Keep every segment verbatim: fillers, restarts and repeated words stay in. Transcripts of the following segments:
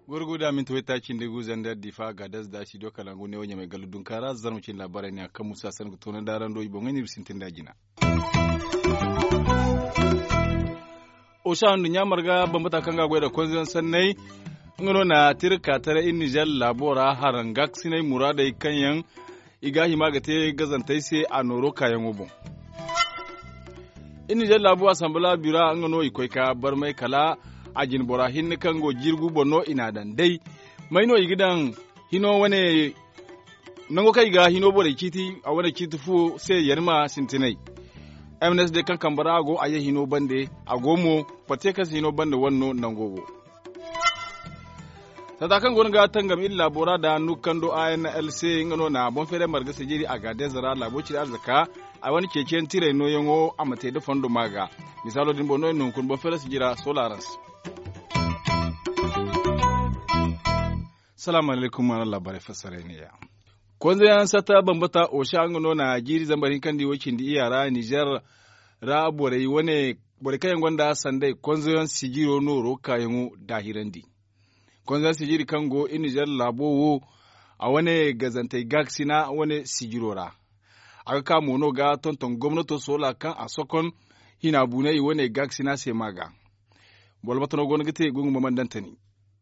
Gorgo da minti waytaaci nda gu zandar difa ga daz da si do kalangu ne wo ɲamay gallu dunka ra zarma cin laabaray ne a kaŋ musa sanni ga toona daarando i boŋey ne i ma sintin da jina. Osa nduɲɲa marga bambata kaŋ ga a goy da konzeyaŋ sanney nga no na tira ka taray iri nizer laabo ra haraŋ gaakasinay muraadey kaŋ yaŋ i ga a hima ga te gazantey se a nooro kaayaŋo boŋ. Iri nizer laabo asanbala bira nga no i koy ka barmay kala a jinbora hinne kaŋ go jirgu boŋ no i n'a daŋ day. May no i ga daŋ hino wane nango kaŋ i ga hino borey ciiti a wane ciiti fu se yarima sintinay. M n s d kaŋ kambe ra a go a ye hino bande a go mo. Pate kaŋ se hino bande wane no nango go. Sata kaŋ go no ga tangam iri laabo ra da nukando a n l c nga no na boŋ feeray marga sijiri a ga deeza ra laabo ciri arzaka a wane ceeciyaŋ tiray nooyaŋo a ma te da fondo ma ga. Misaalo din boŋ no iri na hunkuna boŋ feeray sijira solarans. Salaamu alaykum araŋ laabaarey fassaray ne ya. Konzeyaŋ sata bambata osa nga no na jiiri zambar hinka nda i way cindi iyya ra nizer ra borey wane borey kaŋ yaŋ gonda sanday konzeyaŋ sijiro nooro kaayaŋo daahirandi. Konzeyaŋ sijiri kaŋ go i nizer laabo wo a wane gazantey gaakasina wane sijiro ra. A ga ka mo no ga tonton gomnato soola kaŋ a sokon hina buunay wane gaakasina se ma ga. Boro mate no go no ga te gungu ma mana daŋ tani.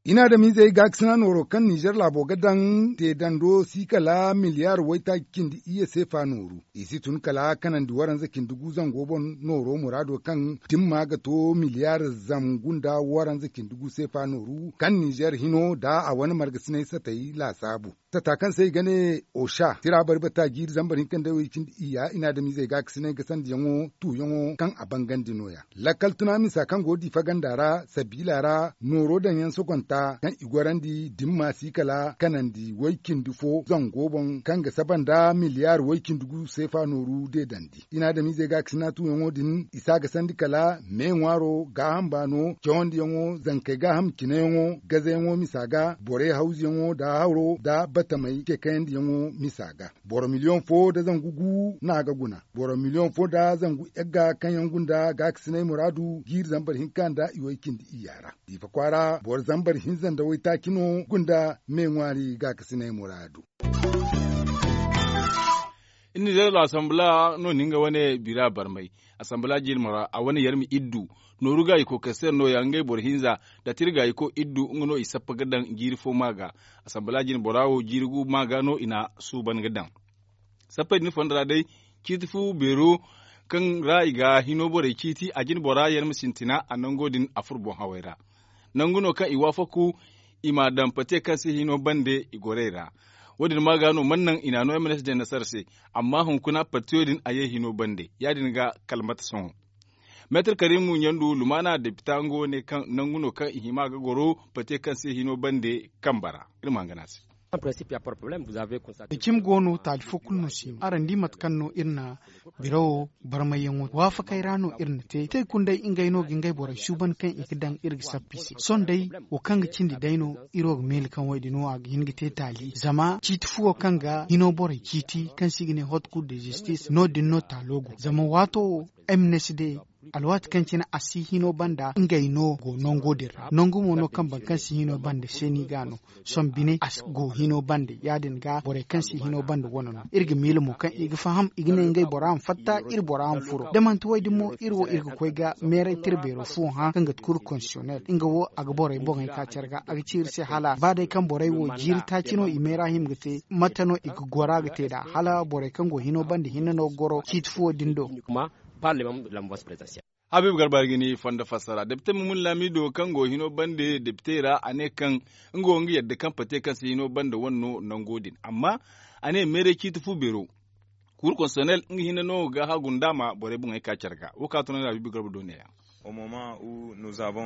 I na adamizey gaakasina nooro kaŋ nizer laabo ga daŋ te dando si kala miliyaar waytaaci cindi iyye seefa nooru. I si tun kala kanandi waranza cindi gu zango boŋ nooro muraado kaŋ dimma ga to miliyaar zangu nda waranza cindi gu seefa nooru kaŋ nizer hino nda a wane margasinay satay laasaabu. Tata kaŋ se i ga ne osha tira bari bata jiiri zambar hinka nda way cindi iyya i na adamizey gaakasinay ga sandiyaŋo tuuyaŋo kaŋ a bangandi nooya. Lakkal tuna misa kaŋ go diifa ganda ra sabiila ra nooro daŋyaŋ sogonta kaŋ i gorandi dimma si kala kanandi way cindi fo zango boŋ kaŋ ga saba nda miliyaar way cindi gu seefa nooru deedandi. I na adamizey gaakasina tuuyaŋo din i si a ga sandi kala me ŋwaaro gaaham baano cawandiyaŋo zankey gaaham cineyaŋo gazayaŋo misa ga borey hawzuyaŋo nda haro nda batamey ce kayandiyaŋo misa ga. Boro miliyoŋ fo nda zangu gu no a ga guna. Boro miliyoŋ fo nda zangu yagga kaŋ yaŋ gunda gaakasinay muraadu jiiri zambar hinka nda i way cindi iyya ra. Diifa kwaara boro zambar hinza nda waytaaci no gunda me ŋwaari gaakasinay muraadu. Iri nizer asanbala no na nga wane bira barmay. Asanbala jirma ra a wane yarmi iddu nooru gaayi kookay se no ya ngey boro hinza da tira gaayi ko iddu nga no i sappa ga daŋ jiiri fo ma ga. Asanbala jirma bora wo jiiri gu ma ga no i na suuban ga daŋ. Sappey din fondo ra day ciiti fu beero kaŋ ra i ga hino borey ciiti a jine bora yarma sintina a nango din a furo boŋ hawey ra. Nangu no kaŋ i waafaku i m'a daŋ pate kaŋ se hino bande i gorey ra. Wo- din ma ga no mana naŋ i n'a no m n s d nasara se. Amma hunkuna partiyo din a ye hino bande ya- din ga kala mate sohõ. Meetar karimu ɲandu lumaana depita nga wo ne kaŋ nangu no kaŋ i hima ga goro pate kaŋ se hino bande kambe ra. Iri ma hangan a se. Cimi go no taali fo kulu no si no araŋ di mate kaŋ no iri na birawo barmayyaŋo waafakey ra no iri na te te kulu day ngey no ga ngey borey suuban kaŋ i ga daŋ iri ga sappa i se sohõ day wo kaŋ ga cindi day no iri wo ga meele kaŋ wo- din wo a ga hin ga te taali zama ciiti fuwo kaŋ ga hino borey ciiti kaŋ se i ga ne hot kul de zistis no- din no taalo go zama waato wo m n s d alwaati kaŋ cine a si hino banda ngey no go nango din ra nangu mo no kaŋ boro kaŋ si hino banda seeni ga no sohõ bine a go hino banda ya- din ga borey kaŋ si hino banda wane no iri ga miila mo kaŋ i ga faham i ga ne ngey bora ma fatta iri bora ma furo da manti wo- din mo iri wo iri ga koy ga meeray tira beero fuwo hã kaŋ ga ti kulu konsiyonel nga wo a ga borey boŋey ka care ga a ga ci iri se hala ba day kaŋ borey wo jiiri taaci no i meera hima ga te mate no i ga gora ga te nd'a hala borey kaŋ go hino banda hinne no ga goro ciiti fuwo din do. Habiibu garba ga ni fondo fassara depite mumun laamido kaŋ go hino bande depitey ra a ne kaŋ nga wo nga yadda kaŋ pate kaŋ se hino bande wane no nango din amma a ne meeray ciiti fu beero. Kuuru konsonel nga hinne no ga hagu nda a ma borey boŋey ka care ga wo ka tun habiibu garba do neeya.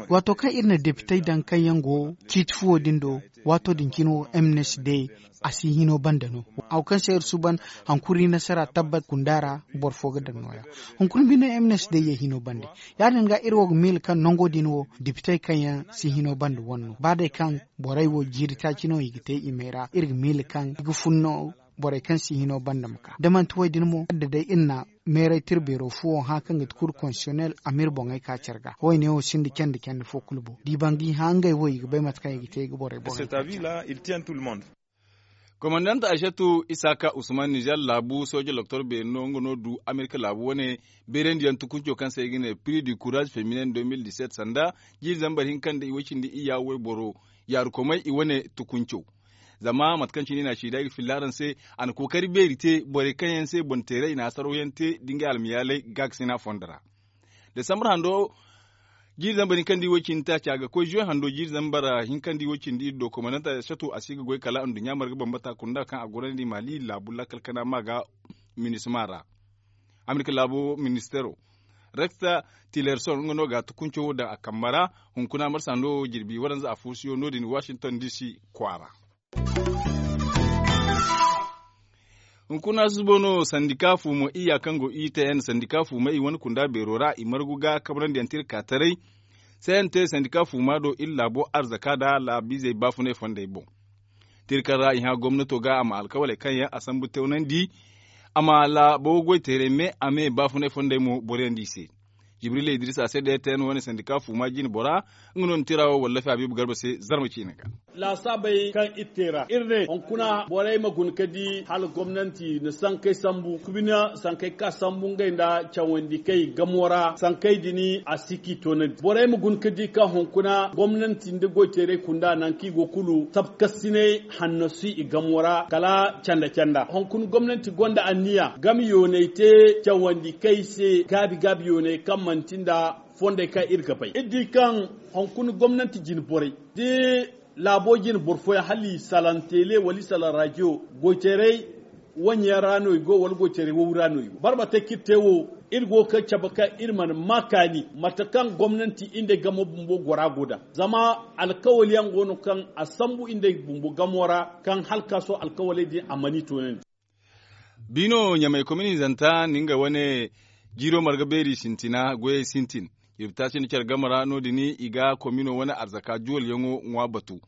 Waato kaŋ iri na depitey daŋ kaŋ yaŋ go ciiti fuwo din do waato din cine wo m n s d a si hino banda no. Haw kaŋ se iri suuban hankuri nasara tabbat kunda ra boro fo ga daŋ nooya. Hunkuna bine m n s d ye hino banda ya- din ga iri wo ga miila kaŋ nango din wo depitey kaŋ yaŋ si hino banda wane no ba day kaŋ borey wo jiiri taaci no i ga te i may ra iri ga miila kaŋ i ga fun no. Borey kaŋ si hino banda ma ka da manti wo- din mo da day iri na meeray tira beero fo wo hã kaŋ ga ti kur konsiyonel a ma iri boŋey ka care ga wo- ne wo sinda candi candi fo kulu boŋ da i ban ga i hã ngey wo i ga bay mate kaŋ i ga te i ga borey boŋey ka care. Komandant aysatu isaaka usman nizer laabu sooje loktor beeri no nga no du amerika laabu wane beerandiyaŋ tukunco kaŋ se i ga ne prix du courage feminin deux mille dix-sept sanda jiiri zambar hinka nda i way cindi iyya wayboro yaarukomey i wane tukunco. Zama mate kaŋ cine i na a ci da i ga filla araŋ se a na kookari beeri te borey kaŋ yaŋ se boŋ teeray i na hasaraw yaŋ te da ngey almayaaley gaakasina fondo ra. Desambar hando jiiri zambar hinka nda i way cindi taaci a ga koy zuwe hando jiiri zambar hinka nda i way cindi iri do komandanta sato a si ga goy kala nduɲɲa marga bambata kunda kaŋ a gorandi maali laabu lakkal kana ma ga minisma ra. Amerika laabo ministero rekta tilerson nga no ga tukunco daŋ a kambe ra. Hunkuna marsa no jirbi waranza a fursiyo no- din washington dc kwaara. Hunkuna susubo no sandika fuumo iyya kaŋ go i te yaŋ sandika fuumey wane kunda beero ra i margu ga kabrandi yaŋ tira ka taray. Cnt sandika fuuma do iri laabo arzaka nda laabiizey baafunay fondey boŋ. Tira kaŋ ra i hã gomnato ga a ma alkawaley kaŋ yaŋ a sambu tewnandi a ma laabo goy teeray me a me baafunay fondey mo boroyaŋ di i se. Jibril idris a se da ya te yaŋ wane sandika fuuma jine bora nga no na tira wo wallafi habiibu garba se zarma ciine ga. Laasaabey kaŋ iri te ra iri ne hunkuna borey ma guna ka di hala gomnanti na sankey sambu kubina sankey ka sambu ngey nda cawandi kay gamo ra sankey din a si k'i toonandi borey ma guna ka di kaŋ hunkuna gomnanti nda goyteeray kunda nangu kaŋ i go kulu sabkasinay hanno si i gamo ra kala canda canda hunkuna gomnanti gonda anniya game yoonay te cawandi kay se gaabi gaabi yoonay kaŋ manti nda fondey kaŋ iri ga bay iri di kaŋ hunkuna gomnanti jine borey da laabo jine boro fooyaŋ hala i salaŋ teele wala i salaŋ rajiyo goyteeray waŋ yaŋ ra no i go wala goyteeray wawi ra no i go barbatey kaŋ iri te wo iri go ga cabe kaŋ iri mana ma kaani mate kaŋ gomnanti iri nda ay gamo bumbo gora go daŋ zama alkawali yaŋ go no kaŋ a sambu iri nda ay bumbo gamo ra kaŋ hala ka sohõ alkawaley din a mana i toonandi. Biino ɲamay kominizanta na nga wane jiiro marga beeri sintina goyey sintin. Jirbi taaci nda care game ra no- din i ga komino wane arzaka juwalyaŋo ŋwa batu.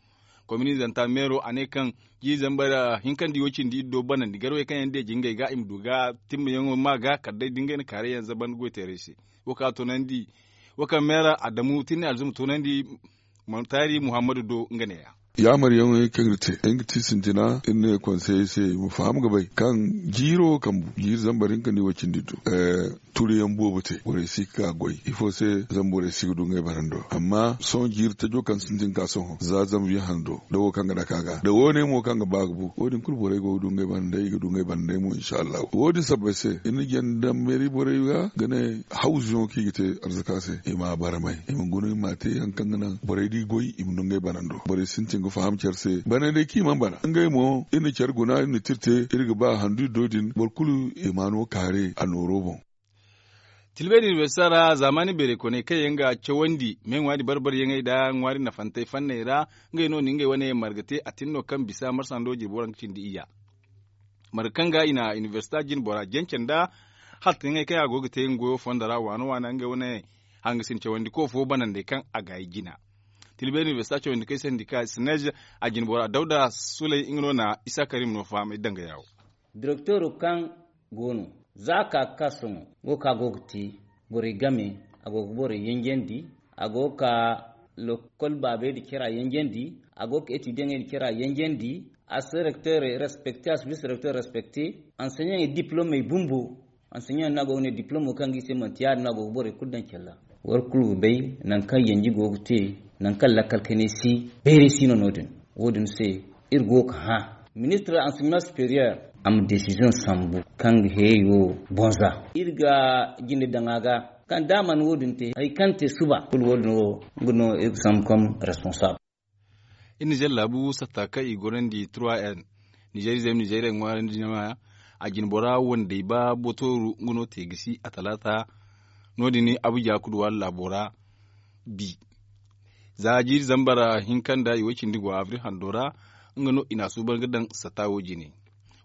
Kominizanta meero a ne kaŋ jiiri zambar hinka nda i way cindi iri do banandi garwey kaŋ yaŋ deeji ngey ga i ma du ga timmayaŋo ma ga kala day da ngey na kaaray yaŋ zaban goyteeray se. Wo kaŋ a toonandi wo kaŋ meera adamu tinni alzuma toonandi montaari muhammadu do nga neeya. Yaamaryaŋey kaŋ iri te ay ga ti sintina iri ne konseyey se i ma faham ga bay kaŋ jiiro kambu jiiri zambar hinka nda i way cindi do. Turiyaŋ boobo te borey si ga ka goy ifo se zama borey si ga du ngey banando amma sohõ jiiri tajo kaŋ sintin ka sohõ za zanviye hando da wo kaŋ ga dake a ga da woone mo kaŋ ga ba ga bu wo- din kulu borey go ga du ngey banandey i ga du ngey banandey mo insa allahu wo- din sabbay se iri na janda meeri borey ga ga ne hawzuyaŋo kaŋ i ga te arzaka se i ma a baramay i ma guna i ma a te hari kaŋ ga naŋ borey da i goy i ma du ngey banando borey sintin ga faham care se banandey kaŋ i mana bana ngey mo iri na care guna iri na tira te iri ga ba handu iri do din boro kulu i ma no kaare a nooro boŋ. Tilbeeri inibersita ra zaamaani beerey koney kaŋ yaŋ ga cawandi me ŋwaari bar-baryaŋey nda ŋwaari nafantey fanney ra ngey no na ngey wane marga te a tin no kaŋ bisa marsa ndo jirbi waranka cindi iyya. Marga kaŋ ga i na inibersita jine bora jance nda haltayaŋey kaŋ yaŋ a go ga te nga goyo fondo ra waana waana ngey wane hangasin cawandiko fo banandey kaŋ a gaayi jina. Tilbeeri inibersita cawandikey sandika sineez a jine bora dawda suley nga no na isa karim no fahamay danga yaawo. Direktoro kaŋ go no za a ka ga ka sohõ go ka go ga te borey game a go ga borey yanjandi a go ga ka lokol baabey nda cara yanjandi a go ga etidiyaŋey nda cara yanjandi a si direktoro respekte a si bise direktoro respekte anseɲaŋey diplomey bumbo anseɲaŋey no a go ga ne diplomo kaŋ ga i se manti ya- din no a go ga borey kulu daŋ care ra. War kulu ga bay nangu kaŋ yanji go ga te nangu kaŋ lakkal kanay si beeray si no no- din wo- din se iri go ga hã ministir anseɲaŋ superiyer a ma desiziyoŋ sambu kaŋ ga heeyo bonza iri ga jinde daŋ a ga kaŋ da a mana wo- din te hari kaŋ te suba kulu wo- din wo nga no iri ga sambu kaŋ responsable. Iri nizer laabu satta kaŋ i gorandi trois n nizerize ma nizeriya ŋwaarandi jama a jine bora wandey ba botooru nga no te gisi a talaata no- din abuja kuduwaari laabo ra. Bi za jiiri zambar hinka nda i way cindi go abril hando ra nga no i na a suuban ga daŋ sata wo jine.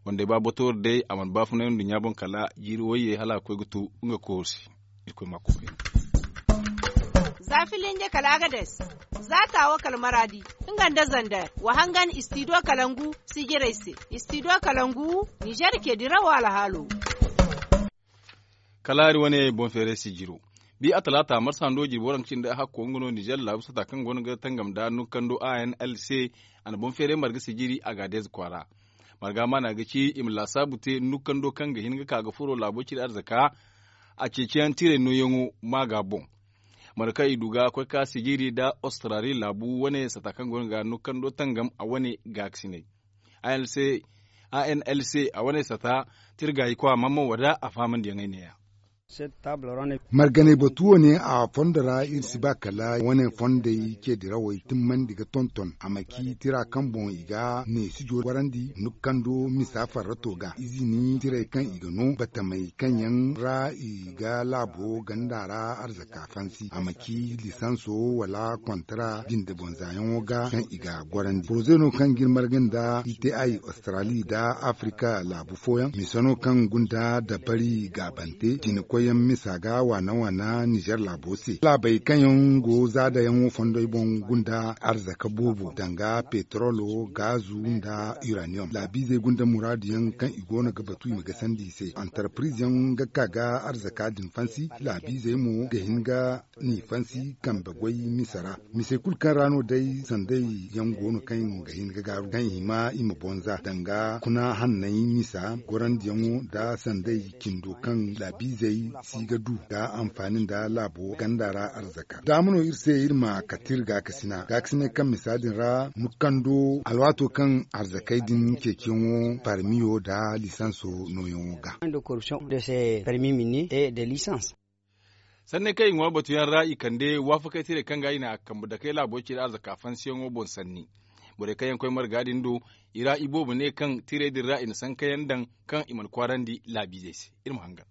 Wandey ba botooru day a mana baafunay nduɲɲa boŋ kala jiiri wayye hala a ga koy ga tu nga koori se. Irkoy ma a koy. Za filinje kala agades. Za taawo kala maraadi, nga nda zander wa hangan istidiyo kalangu sijirey se. Istidiyo kalangu, nizer ce dirawo alhaalo. Kala hari wane boŋ feeray sijiro, bi a talaata marsa hando jirbi waranka cindi a hakko nga no nizer laabu sata kaŋ go no ga tangam nda nukkando a n l c. A na boŋ feeray marga sijiri a ga a deeze kwaara. Marga maana ga ci i ma laasaabu te nukkando kaŋ ga hin ga ka ga furo laabo ciri arzaka. A ceeciyaŋ tiray nooyaŋo ma ga boŋ. Marga kaŋ i du ga koy ka sijiri nda australi laabu wane sata kaŋ go no ga nukkando tangam a wane gaakasinay. A n l c a wane sata tirgaayi kwa mamman wada a fahamandiyaŋ ay neeya. Marganay batu wane a fondo ra iri si ba kala wane fondey ce dirawey timmandi ga tonton a ma ci tira kaŋ boŋ i ga neesijo warandi nukkando misa farrato ga izini tirey kaŋ i ga no batamey kaŋ yaŋ ra i ga laabo ganda ra arzaka fansi a ma ci lisanso wala kontara jinde boŋ zaayaŋo ga kaŋ i ga gorandi poroze no kaŋ ga iri marga nda i te ay australi nda afrika laabu fooyaŋ mise no kaŋ gunda dabari gaabante jine koyyaŋ misa ga waana waana nizer laabo se laabey kaŋ yaŋ go zaadayaŋo fondoy boŋ gunda arzaka boobo danga petrolo gaazu nda uranium laabiizey gunda muraadu yaŋ kaŋ i go no ga batu i ma gasandi i se antarpiriz yaŋ ga ka ga arzaka din fansi laabiizey mo ga hin ga ni fansi kambe goy misa ra. Misey kulu kaŋ ra no day sanday yaŋ go no kaŋ ga hin ga gaaru kaŋ i hima i ma bonza danga kuna hanney misa gorandiyaŋo nda sanday cindo kaŋ laabiizey si ga du ga anfaani nda laabo ganda ra arzaka daama no iri se iri ma kate iri gaakasina gaakasinay kaŋ misa din ra nukkando alwaato kaŋ arzakey din ceeciyaŋo parmiyo nda lisanso nooyaŋo ga. Sanney kaŋ i ŋwa batuyaŋ ra i kande waafakey tiray kaŋ ga i na a kambe dakey laabo ciri arzaka fansiyaŋo boŋ sanni. Borey kaŋ yaŋ koy marga din do i ra iboobo ne kaŋ tiray din ra i na sankayaŋ daŋ kaŋ i mana kwaarandi laabiizey se. Iri ma hangan.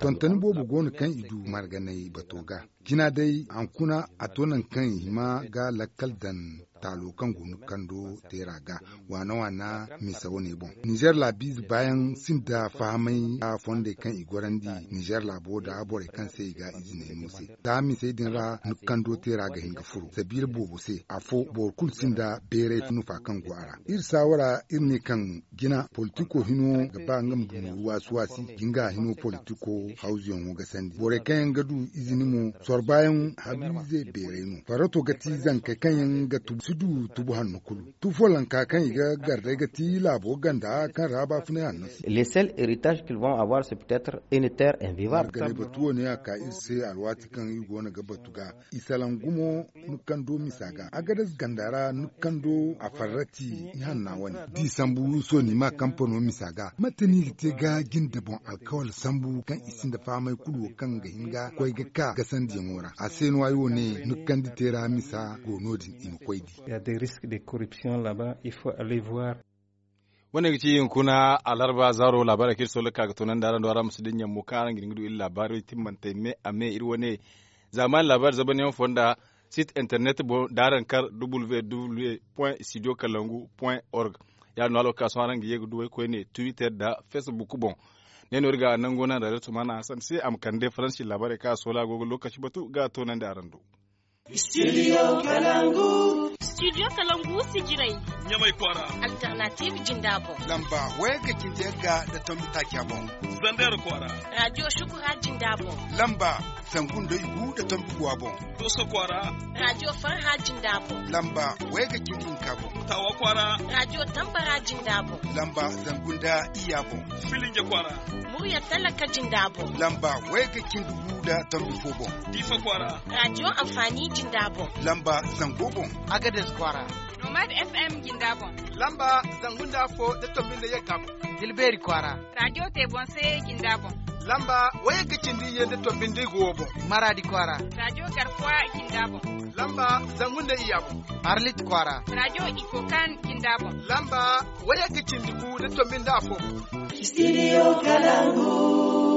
Tontoni boobo go no kaŋ i du marganay bato ga jina day hankuna a to nangu kaŋ i hima ga lakkal daŋ taalo kaŋ go nukkando teera ga waana waana misa wane boŋ nizer laabiize baayaŋ sinda fahamay a fondey kaŋ i gorandi nizer laabo nda borey kaŋ se i ga iziney no se za misey din ra nukkando teera ga hin ga furo sabiila boobo se afo boro kulu sinda beeray nufa kaŋ go a ra iri saawara iri ne kaŋ jina politiko hino ga ba nga ma du nooru waasi waasi jinga hino politiko hawzuyaŋo ga sandi borey kaŋ yaŋ ga du izini mo sorbayaŋ habiize beeray no farrato ga ti zankey kaŋ yaŋ ga tubu si du tubu hanno kulu tubu follonka kaŋ i ga gar day ga ti laabo ganda kaŋ ra baafunay hanno si. Les seuls héritages qu'ils vont avoir c'est peut-être une terre invivable. Marganay batu wo ne a ka iri se alwaati kaŋ iri go no ga batu ga i salaŋ gumo nukkando misa ga agadas ganda ra nukkando a farrati i hanna wane da i sambu sooni ma kampano misa ga mate no i ga te ga jinde boŋ alkawal sambu kaŋ i sinda fahamay kulu wo kaŋ ga hin ga koy ga ka gasandiyaŋo ra a se no ay wo ne nukkandi teera misa go no- din i ma koy di. Il y a des risques de corruption là-bas il faut aller voir. Wane ga ci hunkuna alarba zaaro laabaarey kaŋ iri soola ga ka ga toonandi araŋ do araŋ ma si dinya mo kaŋ araŋ ga hin ga du iri laabaarey timmantey me a me iri wane zaamaani laabaari zabanyaŋo fonda sit internet boŋ da araŋ kar www point studio kalangu point org. Ya- din no alwakaaso araŋ ga ye ga du waykoyne twitter nda facebook boŋ. Ne no iri ga nango naŋ radio tumana hasan se a ma kande faransi laabaarey kaŋ a soola go ga lookaci batu ga toonandi araŋ do. Studio kalangu. Studio kalangu sijirey. Ɲamay kwaara. Alternative jinda boŋ. Lamba wayga cindi yagga da tombi taaca boŋ. Zander kwaara. Radio shukura jinda boŋ. Lamba zangu nda igu da tombi guwa boŋ. Doso kwaara. Radio farha jinda boŋ. Lamba wayga cindi hinka boŋ. Tawa kwaara. Radio tambara jinda boŋ. Lamba zangu nda iya boŋ. Filinje kwaara. Murya talaka jinda boŋ. Lamba wayga cindi gu da tombi fo boŋ. Difa kwaara. Radio amfani jinda boŋ. Lamba zango boŋ. Agades kwaara. Nomad fm jinda boŋ. Lamba zangu nda fo da tombi nda yagga boŋ. Dilbeeri kwaara. Radio te boŋ se jinda boŋ. Lamba wayga cindi ye nda tombi nda igu wo boŋ. Maradi kwaara. Radio garkuwa jinda boŋ. Lamba zangu nda iya boŋ. Arlit kwaara. Radio ikokan jinda boŋ. Lamba wayga cindi gu da tombi nda afo boŋ. Studio kalangu.